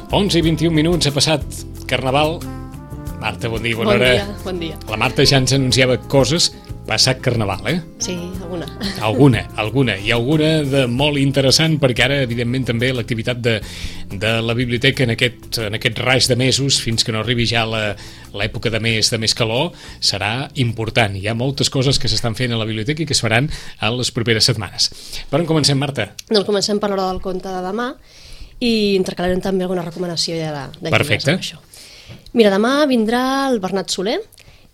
11 i 21 minuts, ha passat Carnaval. Marta, bon dia, bona hora. Bon dia. La Marta ja ens anunciava coses. Passat Carnaval, eh? Sí, alguna. Alguna. I alguna de molt interessant, perquè ara, evidentment, també l'activitat de la biblioteca en aquest raig de mesos, fins que no arribi ja l'època de més calor, serà important. Hi ha moltes coses que s'estan fent a la biblioteca i que es faran a les properes setmanes. Per on comencem, Marta? Doncs comencem per l'hora del conte de demà i intercalarem també alguna recomanació ja de Perfecte. llibres amb això. Mira, demà vindrà el Bernat Soler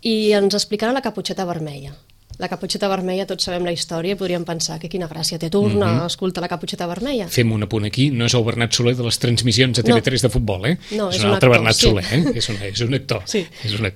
i ens explicarà la Caputxeta Vermella. La Caputxeta Vermella, tots sabem la història i podríem pensar que quina gràcia té torna a escoltar la Caputxeta Vermella. Fem un apunt aquí, no és el Bernat Soler de les transmissions a TV3 de futbol, eh? No, és un altre actor, Bernat sí. Soler, eh? És un actor. Sí.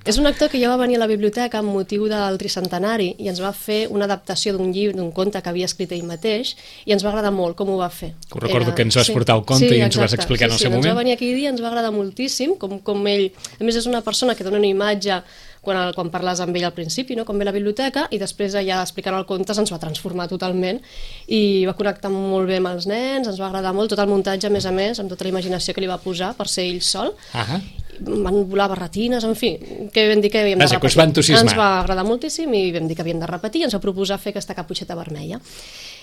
És un actor que ja va venir a la biblioteca amb motiu del tricentenari i ens va fer una adaptació d'un llibre, d'un conte que havia escrit ell mateix i ens va agradar molt com ho va fer. Ho recordo que ens vas portar el conte i ens ho vas explicar en el seu moment. Ens va venir aquell dia, ens va agradar moltíssim, com ell... A més, és una persona que dona una imatge quan parles amb ell al principi, no? Com ve a la biblioteca, i després ja explicant el conte ens va transformar totalment i va connectar molt bé amb els nens, ens va agradar molt tot el muntatge, a més, amb tota la imaginació que li va posar per ser ell sol. Van volar barretines, en fi, que vam dir que havíem de repetir. Es va entusiasmar. Ens va agradar moltíssim i vam dir que havíem de repetir i ens va proposar fer aquesta Caputxeta Vermella.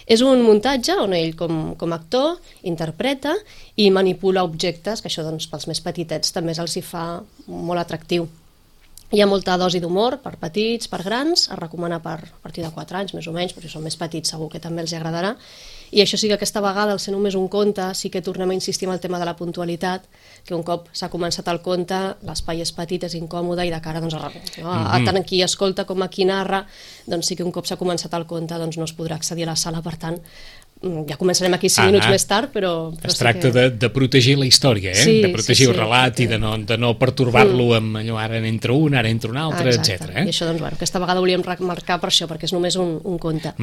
És un muntatge on ell com a actor interpreta i manipula objectes, que això doncs, pels més petitets també els hi fa molt atractiu. Hi ha molta dosi d'humor per petits, per grans, es recomana per a partir de 4 anys, més o menys, però si són més petits segur que també els agradarà. I això sí que aquesta vegada, al ser només un conte, sí que tornem a insistir en el tema de la puntualitat, que un cop s'ha començat el conte, l'espai és petit, és incòmode i de cara doncs, tant a qui escolta com a qui narra, doncs sí que un cop s'ha començat el conte doncs, no es podrà accedir a la sala, per tant, ja començarem aquí 5 minuts més tard, però es tracta de protegir la història, de protegir el relat i de no pertorbar-lo amb allò, ara n'entra un, ara entra un altre, etc. I això, doncs, aquesta vegada volíem remarcar per això, perquè és només un conte.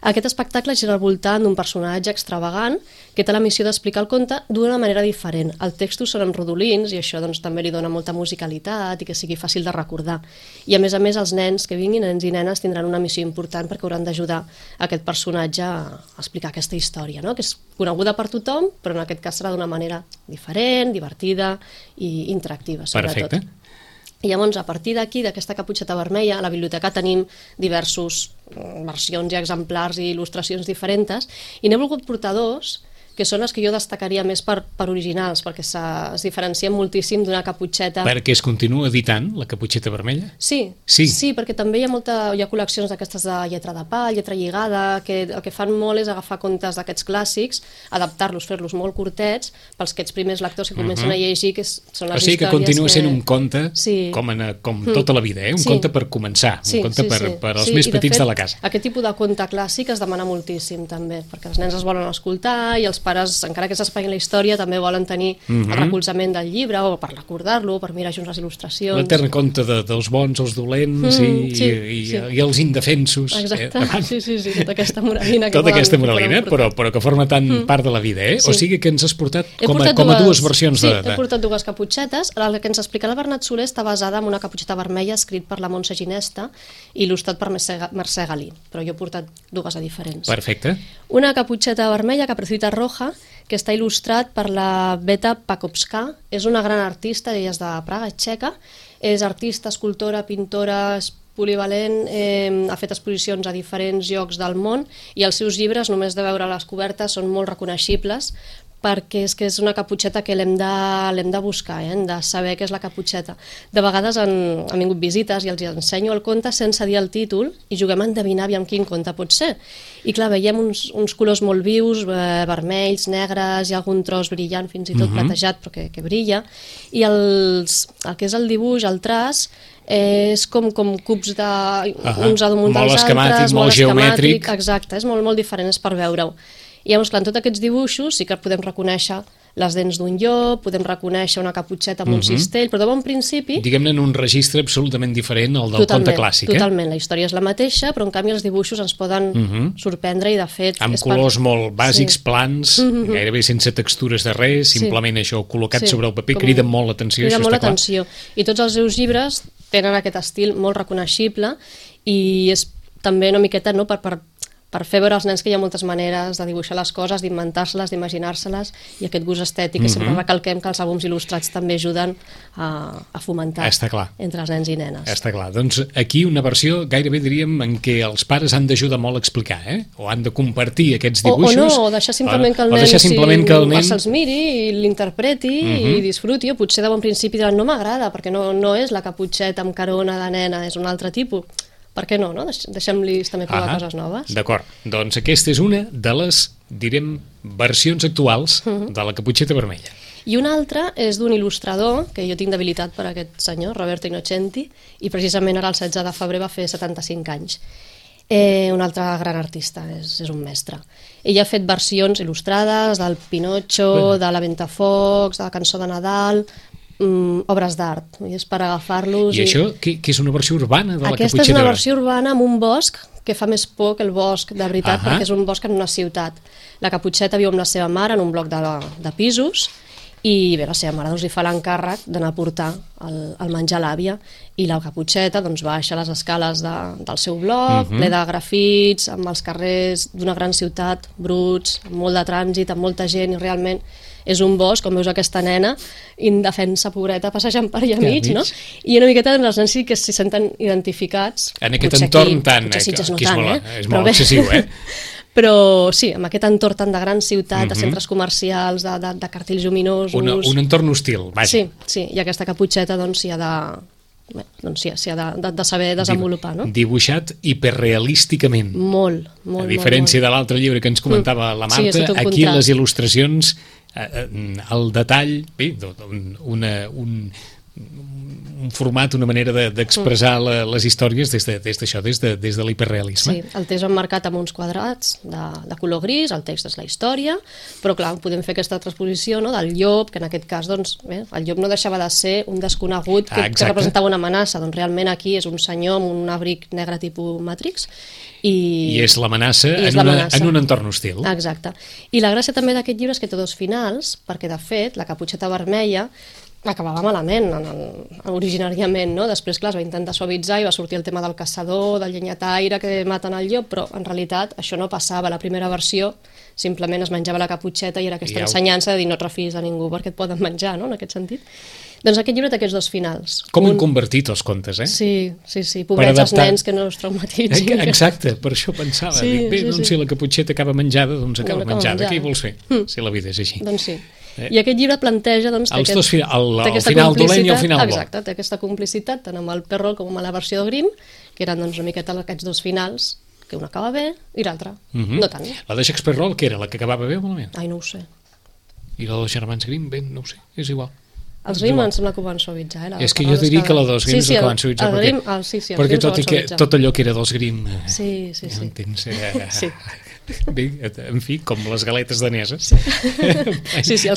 Aquest espectacle gira al voltant d'un personatge extravagant que té la missió d'explicar el conte d'una manera diferent. El text són en rodolins i això doncs, també li dona molta musicalitat i que sigui fàcil de recordar. I a més, els nens que vinguin, nens i nenes, tindran una missió important perquè hauran d'ajudar aquest personatge a explicar aquesta història, no? Que és coneguda per tothom, però en aquest cas serà d'una manera diferent, divertida i interactiva, sobretot. Perfecte. I llavors, a partir d'aquí, d'aquesta Caputxeta Vermella, a la biblioteca tenim diversos versions i exemplars i il·lustracions diferents, i n'he volgut portar dos, que són les que jo destacaria més per originals, perquè es diferencien moltíssim d'una caputxeta... Perquè es continua editant, la Caputxeta Vermella? Sí, perquè també hi ha col·leccions d'aquestes de lletra de pa, lletra lligada, que el que fan molt és agafar contes d'aquests clàssics, adaptar-los, fer-los molt curtets, pels aquests primers lectors que comencen a llegir, que són les històries... O sigui que continua sent un conte com tota la vida, un conte per començar, un conte per als més petits de la casa. Aquest tipus de conte clàssic es demana moltíssim, també, perquè els nens es volen escoltar i els pares, encara que s'espaien la història, també volen tenir el recolzament del llibre o per recordar-lo, per mirar junts les il·lustracions. L'etern conte dels bons, els dolents i els indefensos. Exacte, sí, tota aquesta moralina. Tota aquesta moralina, però que forma tant part de la vida, eh? O sigui que ens has portat com a dues versions de... Sí, he portat dues caputxetes. La que ens explica el Bernat Soler està basada en una caputxeta vermella escrit per la Montse Ginesta i il·lustrat per Mercè Galí, però jo he portat dues diferents. Perfecte. Una caputxeta vermella, Caperucita Roja, que està il·lustrat per la Beta Pakowska. És una gran artista, ella és de Praga, txeca. És artista, escultora, pintora, polivalent, ha fet exposicions a diferents llocs del món i els seus llibres, només de veure les cobertes, són molt reconeixibles perquè és una caputxeta que l'hem de buscar, hem de saber què és la caputxeta. De vegades han vingut visites i els ensenyo el conte sense dir el títol i juguem a endevinar aviam quin conte pot ser. I clar, veiem uns colors molt vius, vermells, negres, hi ha algun tros brillant, fins i tot platejat, però que brilla. I el que és el dibuix, el traç, és com cubs uns damunt dels altres, molt esquemàtic. Exacte, és molt diferent, és per veure-ho. I llavors, clar, en tots aquests dibuixos sí que podem reconèixer les dents d'un llop, podem reconèixer una caputxeta amb un cistell, però de bon principi... Diguem-ne en un registre absolutament diferent al del conte clàssic, Totalment, la història és la mateixa, però en canvi els dibuixos ens poden sorprendre i de fet... Amb colors molt bàsics, plans, gairebé sense textures de res, simplement això col·locat sobre el paper, crida molt l'atenció, això està clar. I tots els seus llibres tenen aquest estil molt reconeixible i és també una miqueta per per fer veure als nens que hi ha moltes maneres de dibuixar les coses, d'inventar-se-les, d'imaginar-se-les, i aquest gust estètic, que sempre recalquem que els àlbums il·lustrats també ajuden a fomentar entre els nens i nenes. Està clar. Doncs aquí una versió gairebé diríem en què els pares han d'ajudar molt a explicar, o han de compartir aquests dibuixos. O deixar simplement que el nen se'ls miri i l'interpreti i disfruti, o potser de bon principi diran no m'agrada perquè no és la caputxeta amb carona de nena, és un altre tipus. Per què no? Deixem-los també provar coses noves. D'acord. Doncs aquesta és una de les, direm, versions actuals de la caputxeta vermella. I una altra és d'un il·lustrador, que jo tinc debilitat per aquest senyor, Roberto Innocenti, i precisament ara el 16 de febrer va fer 75 anys. Un altre gran artista, és un mestre. Ell ha fet versions il·lustrades del Pinocho, de la Ventafocs, de la Cançó de Nadal, obres d'art, és per agafar-los. I això, què és una versió urbana de la caputxeta? Aquesta és una versió urbana amb un bosc que fa més por que el bosc de veritat, perquè és un bosc en una ciutat. La caputxeta viu amb la seva mare en un bloc de pisos, i bé, la seva mare li fa l'encàrrec d'anar a portar el menjar a l'àvia, i la caputxeta baixa les escales del seu bloc, ple de grafits, amb els carrers d'una gran ciutat, bruts, amb molt de trànsit, amb molta gent, i realment és un bosc, com veus aquesta nena indefensa, pobreta, passejant per allà mig, no? I una miqueta els nens sí que s'hi senten identificats. En aquest entorn tant, que és molt excessiu, Però sí, amb aquest entorn tan de gran ciutat, de centres comercials, de cartells lluminosos... Un entorn hostil, vaja. Sí, i aquesta caputxeta s'hi ha de saber desenvolupar, no? Dibuixat hiperrealísticament. Molt. A diferència de l'altre llibre que ens comentava la Marta, aquí les il·lustracions, el detall, bé, un format, una manera d'expressar les històries des de l'hiperrealisme. Sí, el text emmarcat amb uns quadrats de color gris, el text és la història, però clar, podem fer aquesta transposició del llop, que en aquest cas, doncs, bé, el llop no deixava de ser un desconegut que representava una amenaça, doncs realment aquí és un senyor amb un abric negre tipus Matrix, i és l'amenaça en un entorn hostil. Exacte. I la gràcia també d'aquest llibre és que té dos finals, perquè de fet la caputxeta vermella acabava malament originàriament, no? Després, clar, es va intentar suavitzar i va sortir el tema del caçador, del llenyataire que maten el llop, però en realitat això no passava. La primera versió simplement es menjava la caputxeta i era aquesta ensenyança de dir no et refiïs de ningú perquè et poden menjar, no? En aquest sentit. Doncs aquest llibre té aquests dos finals. Com han convertit els contes, Sí, pobrets els nens que no es traumatitzin. Exacte, per això pensava. Si la caputxeta acaba menjada, doncs acaba menjada. Què hi vols fer, si la vida és així? Doncs sí. I aquest llibre planteja el final dolent i el final bo. Exacte, té aquesta complicitat tant amb el Perrault com amb la versió de Grimm, que eren una miqueta aquests dos finals, que un acaba bé i l'altre no tant. La de Jacques Perrault, que era la que acabava bé o malament? Ai, no ho sé. I la dels germans Grimm, bé, no ho sé, és igual. Els Grimm em sembla que ho van suavitzar. És que jo diria que la dels Grimm és la que van suavitzar. Perquè tot allò que era dels Grimm... Sí. Sí. Bé, en fi, com les galetes daneses.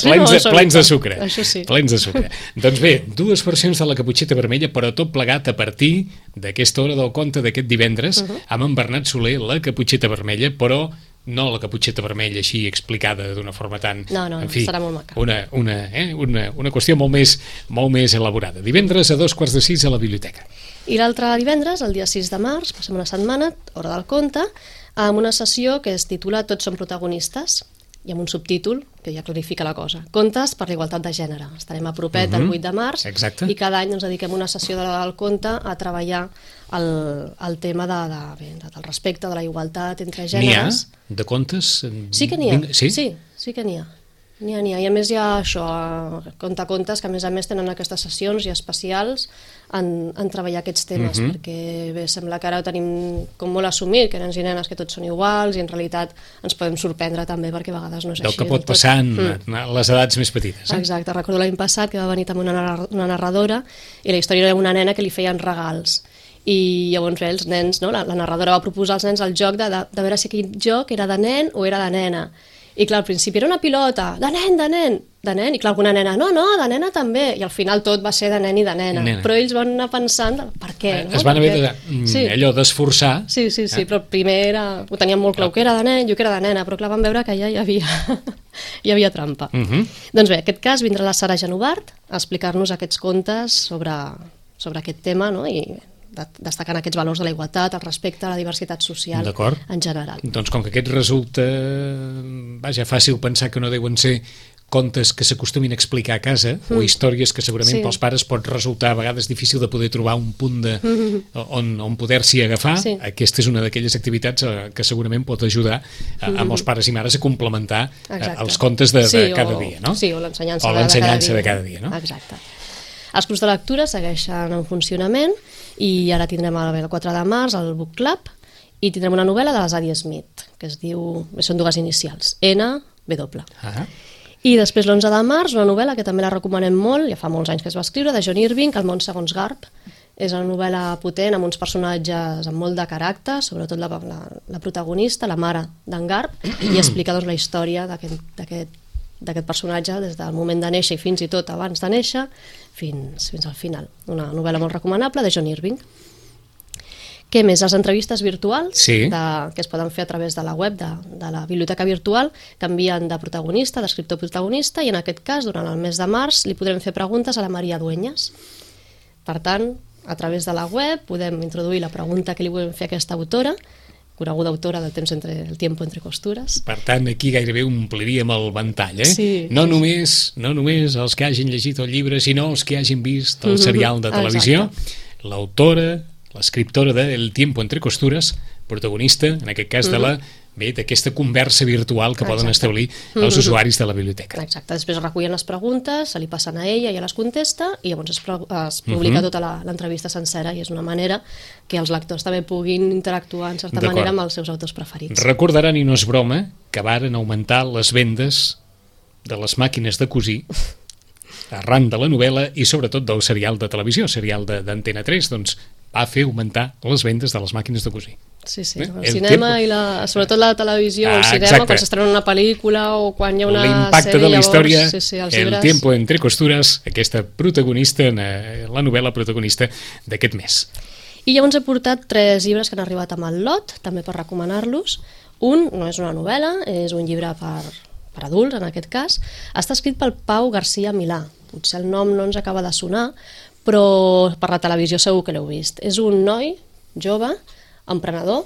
Plens de sucre. Això sí. Plens de sucre. Doncs bé, dues versions de la caputxeta vermella, però tot plegat a partir d'aquesta hora del conte d'aquest divendres, amb en Bernat Soler, la caputxeta vermella, però no la caputxeta vermella així explicada d'una forma tan... No, serà molt maca. Una qüestió molt més elaborada. Divendres a 5:45 a la biblioteca. I l'altre divendres, el dia 6 de març, passem una setmana, hora del conte, amb una sessió que es titula Tots són protagonistes, i amb un subtítol que ja clarifica la cosa. Contes per la igualtat de gènere. Estarem a propet el 8 de març i cada any ens dediquem una sessió del conte a treballar el tema del respecte, de la igualtat entre gèneres. N'hi ha de contes? Sí que n'hi ha. Sí que n'hi ha. N'hi ha. I a més hi ha això, contes que a més tenen aquestes sessions i especials en treballar aquests temes, perquè bé, sembla que ara ho tenim com molt assumit, que nens i nenes que tots són iguals, i en realitat ens podem sorprendre també, perquè a vegades no és així. Del que pot passar en les edats més petites. Exacte, recordo l'any passat que va venir també una narradora, i la història era una nena que li feien regals, i llavors els nens, la narradora va proposar als nens el joc de veure si aquell joc era de nen o era de nena. I clar, al principi era una pilota, de nen, i clar, alguna nena, no, de nena també, i al final tot va ser de nen i de nena. Però ells van anar pensant, per què? Es van haver allò d'esforçar. Sí, però primer ho teníem molt clar, que era de nen, jo que era de nena, però clar, van veure que ja hi havia trampa. Doncs bé, en aquest cas vindrà la Sara Genovart a explicar-nos aquests contes sobre aquest tema, i destacant aquests valors de la igualtat, el respecte a la diversitat social en general. Doncs com que aquest resulta fàcil pensar que no deuen ser contes que s'acostumin a explicar a casa o històries que segurament pels pares pot resultar a vegades difícil de poder trobar un punt on poder-s'hi agafar. Aquesta és una d'aquelles activitats que segurament pot ajudar a molts pares i mares a complementar els contes de cada dia, no? Sí, o l'ensenyança de cada dia, no? Exacte. Els clubs de lectura segueixen en funcionament i ara tindrem el 4 de març el Book Club i tindrem una novel·la de la Zadie Smith que es diu, són dues inicials, N-W. I després l'11 de març una novel·la que també la recomanem molt, ja fa molts anys que es va escriure, de John Irving, El món segons Garp. És una novel·la potent amb uns personatges amb molt de caràcter, sobretot la protagonista, la mare d'en Garp, i explica la història d'aquest personatge des del moment de néixer i fins i tot abans de néixer fins al final. Una novel·la molt recomanable de John Irving. Què més? Les entrevistes virtuals que es poden fer a través de la web de la biblioteca virtual canvien de protagonista, d'escriptor protagonista, i en aquest cas, durant el mes de març, li podrem fer preguntes a la Maria Dueñas. Per tant, a través de la web podem introduir la pregunta que li volem fer a aquesta autora, coneguda autora del El tiempo entre costures. Per tant, aquí gairebé ompliríem el ventall, No només els que hagin llegit el llibre, sinó els que hagin vist el serial de televisió. L'autora, l'escriptora de El tiempo entre costures, protagonista, en aquest cas, d'aquesta conversa virtual que poden establir els usuaris de la biblioteca. Exacte, després recullen les preguntes, se li passen a ella, ella les contesta i llavors es publica tota l'entrevista sencera i és una manera que els lectors també puguin interactuar en certa manera amb els seus autors preferits. Recordaran, i no és broma, que varen augmentar les vendes de les màquines de cosir arran de la novel·la i sobretot del serial de televisió, serial d'Antena 3, doncs va fer augmentar les vendes de les màquines de cosir. Sí, el cinema i sobretot la televisió, el cinema, quan s'estrena una pel·lícula o quan hi ha una sèrie, l'impacte de la història, El tiempo entre costures, aquesta protagonista, la novel·la protagonista d'aquest mes. I llavors he portat 3 llibres que han arribat amb el lot, també per recomanar-los. Un no és una novel·la, és un llibre per adults, en aquest cas. Està escrit pel Pau García Milà. Potser el nom no ens acaba de sonar, però per la televisió segur que l'heu vist. És un noi jove, emprenedor,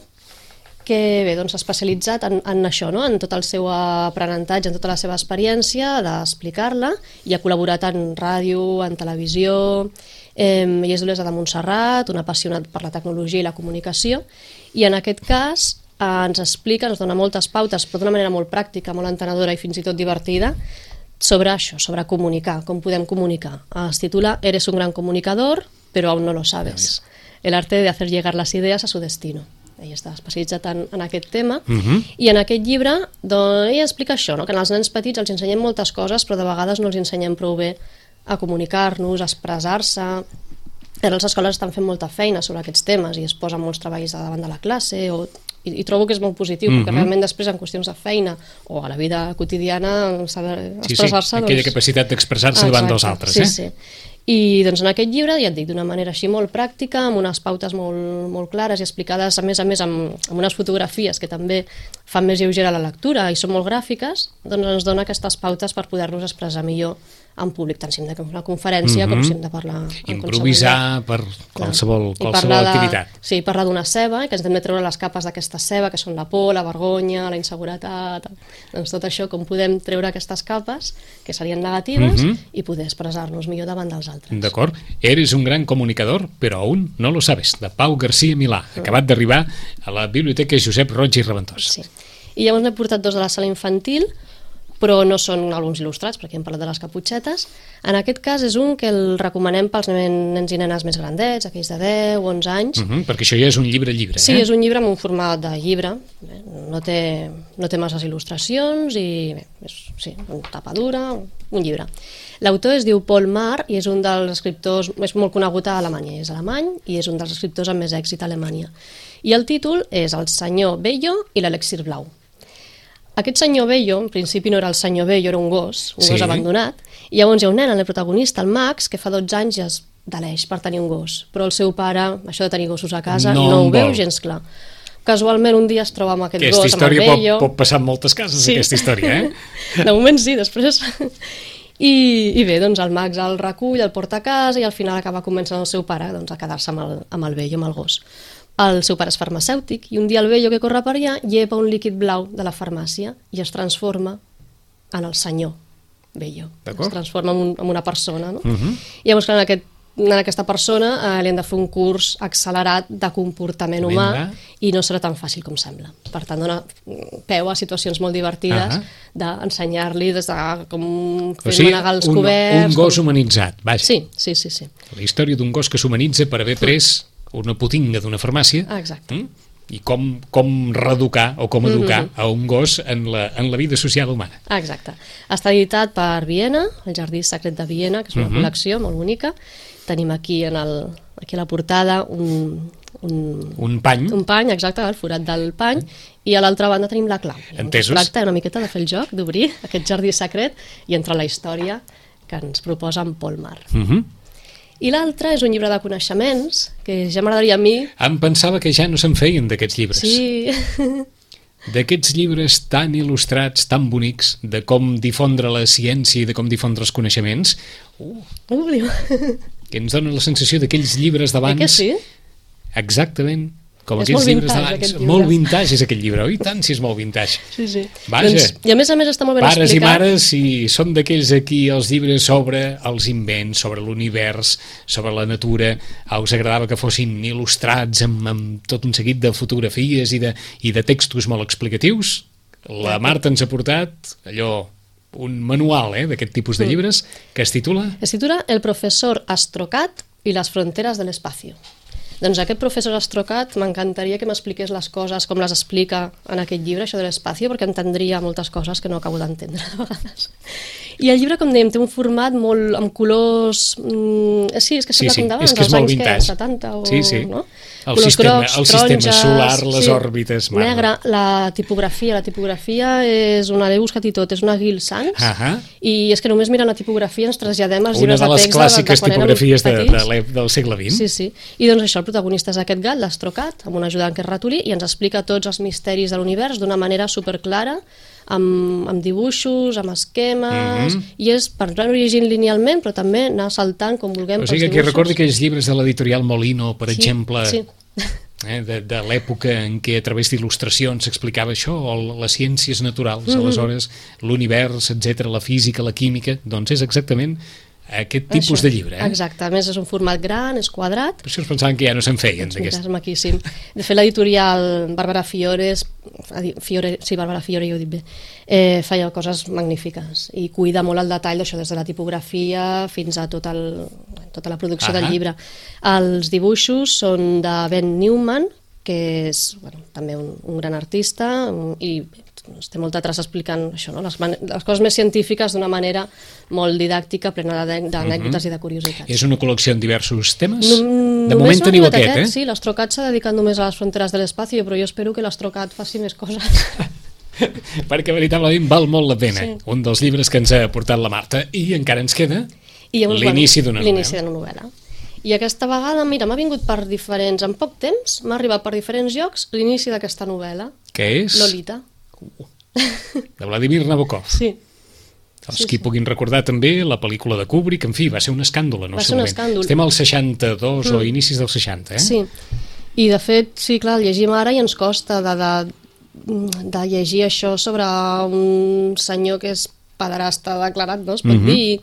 que bé, s'ha especialitzat en això, en tot el seu aprenentatge, en tota la seva experiència d'explicar-la, i ha col·laborat en ràdio, en televisió, ell és d'Olesa de Montserrat, un apassionat per la tecnologia i la comunicació, i en aquest cas ens explica, ens dona moltes pautes, però d'una manera molt pràctica, molt entenedora i fins i tot divertida, sobre això, sobre comunicar, com podem comunicar. Es titula Eres un gran comunicador, però aún no lo sabes. El arte de hacer llegar las ideas a su destino. Ell està especialitzat en aquest tema, i en aquest llibre ell explica això, que als nens petits els ensenyem moltes coses, però de vegades no els ensenyem prou bé a comunicar-nos, a expressar-se. Ara les escoles estan fent molta feina sobre aquests temes i es posen molts treballs davant de la classe, i trobo que és molt positiu, perquè realment després en qüestions de feina o a la vida quotidiana saber expressar-se... Aquella capacitat d'expressar-se davant dels altres. Sí. I en aquest llibre, ja et dic, d'una manera així molt pràctica, amb unes pautes molt clares i explicades, a més amb unes fotografies que també fan més lleugera la lectura i són molt gràfiques, doncs ens dona aquestes pautes per poder-nos expressar millor en públic, tant si hem de fer una conferència com si hem de parlar... Improvisar per qualsevol activitat. Sí, parlar d'una ceba, que ens hem de treure les capes d'aquesta ceba, que són la por, la vergonya, la inseguretat... Doncs tot això, com podem treure aquestes capes, que serien negatives, i poder expressar-nos millor davant dels altres. D'acord. Eres un gran comunicador, però aún no lo sabes, de Pau García Milà, acabat d'arribar a la Biblioteca Josep Roig i Reventós. Sí. I llavors n'he portat 2 de la sala infantil, però no són àlbums il·lustrats, perquè hem parlat de les caputxetes. En aquest cas és un que el recomanem pels nens i nenes més grandets, aquells de 10 o 11 anys. Perquè això ja és un llibre. Sí, és un llibre amb un format de llibre, no té masses il·lustracions i és una tapa dura, un llibre. L'autor es diu Paul Marr i és un dels escriptors, és molt conegut a Alemanya, és alemany i és un dels escriptors amb més èxit a Alemanya. I el títol és El senyor Bello i l'elixir blau. Aquest senyor Bello, en principi no era el senyor Bello, era un gos abandonat, i llavors hi ha un nen, el protagonista, el Max, que fa 12 anys ja es deleix per tenir un gos, però el seu pare, això de tenir gossos a casa, no ho veu gens clar. Casualment un dia es troba amb aquest gos, amb el Bello... Aquesta història pot passar en moltes cases, aquesta història, De moment sí, després... I bé, doncs el Max el recull, el porta a casa i al final acaba convencent el seu pare doncs, a quedar-se amb el Bello, amb el gos. El seu pare és farmacèutic i un dia el Bello, que corre per allà, llepa un líquid blau de la farmàcia i es transforma en el senyor Bello. Es transforma en una persona, no? I llavors, clar, en aquesta persona li han de fer un curs accelerat de comportament humà i no serà tan fàcil com sembla. Per tant, dona peu a situacions molt divertides d'ensenyar-li des de com fer manegar els coberts... Un gos humanitzat, vaja. Sí. La història d'un gos que s'humanitza per haver pres una potinga d'una farmàcia. Exacte. I com reeducar o com educar a un gos en la vida social humana. Exacte. Està editat per Viena, el Jardí Secret de Viena, que és una col·lecció molt bonica. Tenim aquí a la portada un pany. Un pany, exacte, el forat del pany, i a l'altra banda tenim la clau. Entesos? Es tracta una miqueta de fer el joc, d'obrir aquest jardí secret i entrar a la història que ens proposa en Paul Mar. I l'altre és un llibre de coneixements, que ja m'agradaria a mi... Em pensava que ja no se'n feien d'aquests llibres. Sí. D'aquests llibres tan il·lustrats, tan bonics, de com difondre la ciència i de com difondre els coneixements, que ens dona la sensació d'aquells llibres d'abans... Que sí? Exactament, com aquells llibres d'abans. Molt vintage és aquest llibre, oi? Tant si és molt vintage. Sí. Vaja. I a més està molt ben explicat. Pares i mares, si són d'aquells aquí els llibres sobre els invents, sobre l'univers, sobre la natura, us agradava que fossin il·lustrats amb tot un seguit de fotografies i de textos molt explicatius, la Marta ens ha portat allò, un manual d'aquest tipus de llibres que es titula... Es titula El professor Astrocat i les fronteres de l'espacio. Doncs aquest professor Astrocat m'encantaria que m'expliqués les coses com les explica en aquest llibre, això de l'espacio, perquè entendria moltes coses que no acabo d'entendre a vegades. I el llibre, com dèiem, té un format molt amb colors... Sí, és que sembla com d'abans, dels anys 70 o... Sí. No? El sistema solar, les òrbites... Negre, la tipografia és una, l'he buscat i tot, és una Gill Sans, i és que només mirant la tipografia ens traslladem als llibres de text... Una de les clàssiques tipografies del segle XX. Sí. I doncs això, el protagonista és aquest gat, l'Astrocat, amb un ajudant que és ratolí, i ens explica tots els misteris de l'univers d'una manera superclara, amb dibuixos, amb esquemes, i és per anar llegint linealment, però també anar saltant com vulguem pels dibuixos. O sigui que recordi aquells llibres de l'editorial Molino, per exemple, de l'època en què a través d'il·lustracions s'explicava això, o les ciències naturals, aleshores l'univers, etc, la física, la química, doncs és exactament aquest tipus de llibre. Exacte, a més és un format gran, és quadrat. Per això es pensaven que ja no se'n feien d'aquest. És maquíssim. De fet, l'editorial Bàrbara Fiore, ja ho dic bé, feia coses magnífiques i cuida molt el detall d'això, des de la tipografia fins a tota la producció del llibre. Els dibuixos són de Ben Newman, que és també un gran artista, i té molta traça explicant això, les coses més científiques d'una manera molt didàctica, plena d'anècdotes i de curiositats. És una col·lecció en diversos temes? De moment teniu aquest, Sí, l'Astrocat s'ha dedicat només a les fronteres de l'espacio, però jo espero que l'Astrocat faci més coses. Perquè veritablement val molt la pena. Un dels llibres que ens ha portat la Marta, i encara ens queda l'inici d'una novel·la. I aquesta vegada, mira, m'ha vingut per diferents... En poc temps m'ha arribat per diferents llocs l'inici d'aquesta novel·la. Què és? Lolita. De Vladimir Nabokov. Sí. Els que puguin recordar també la pel·lícula de Kubrick, en fi, va ser un escàndol en el seu moment. Estem al 62 o inicis del 60, Sí, i de fet, sí, clar, el llegim ara i ens costa de llegir això sobre un senyor que és pederasta declarat, no? Es pot dir,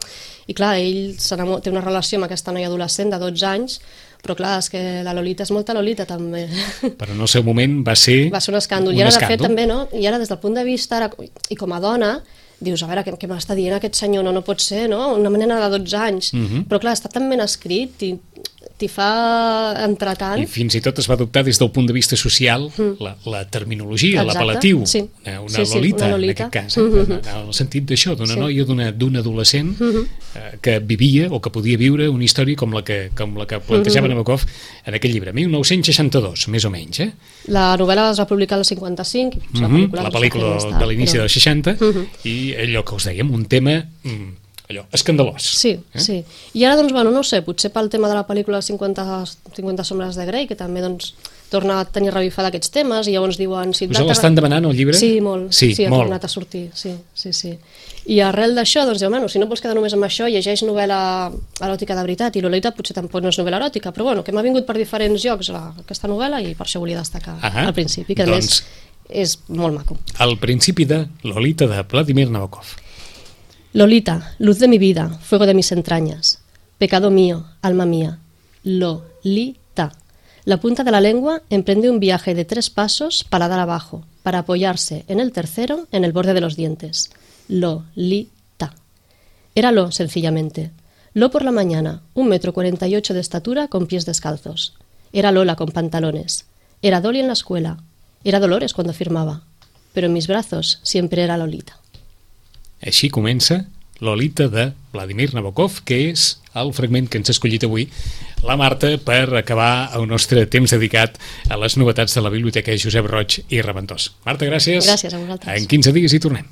i clar, ell té una relació amb aquesta noia adolescent de 12 anys, però clar, és que la Lolita és molta Lolita també. Però en el seu moment va ser un escàndol. I ara, de fet, també, no? I ara, des del punt de vista, i com a dona, dius, a veure, què m'està dient aquest senyor? No pot ser, no? Una nena de 12 anys. Però clar, està tan ben escrit i t'hi fa entretant. I fins i tot es va adoptar des del punt de vista social la terminologia, l'apel·latiu. Una Lolita, en aquest cas. En el sentit d'això, d'una noia, d'un adolescent que vivia o que podia viure una història com la que plantejava Nabokov en aquest llibre, 1962, més o menys. La novel·la es va publicar al 55, la pel·lícula de l'inici dels 60, i allò que us dèiem, un tema... allò, escandalós. Sí. I ara, doncs, no sé, potser pel tema de la pel·lícula 50 sombres de Grey, que també, doncs, torna a tenir revifada aquests temes i llavors diuen... Si us l'estan demanant, el llibre? Sí, molt. Sí, ha molt. tornat a sortir, sí. I arrel d'això, doncs, bueno, si no vols quedar només amb això, llegeix novel·la eròtica de veritat, i Lolita potser tampoc no és novel·la eròtica, però bueno, que m'ha vingut per diferents llocs aquesta novel·la i per això volia destacar al principi, que a més és molt maco. El principi de Lolita, de Vladimir Nabokov. Lolita, luz de mi vida, fuego de mis entrañas, pecado mío, alma mía. Lolita. La punta de la lengua emprende un viaje de 3 pasos paladar abajo, para apoyarse en el tercero en el borde de los dientes. Lolita. Era Lo, sencillamente. Lo por la mañana, 1,48 m de estatura con pies descalzos. Era Lola con pantalones. Era Dolly en la escuela. Era Dolores cuando firmaba. Pero en mis brazos siempre era Lolita. Així comença Lolita de Vladimir Nabokov, que és el fragment que ens ha escollit avui la Marta per acabar el nostre temps dedicat a les novetats de la Biblioteca Josep Roig i Reventós. Marta, gràcies. Gràcies a vosaltres. En 15 dies hi tornem.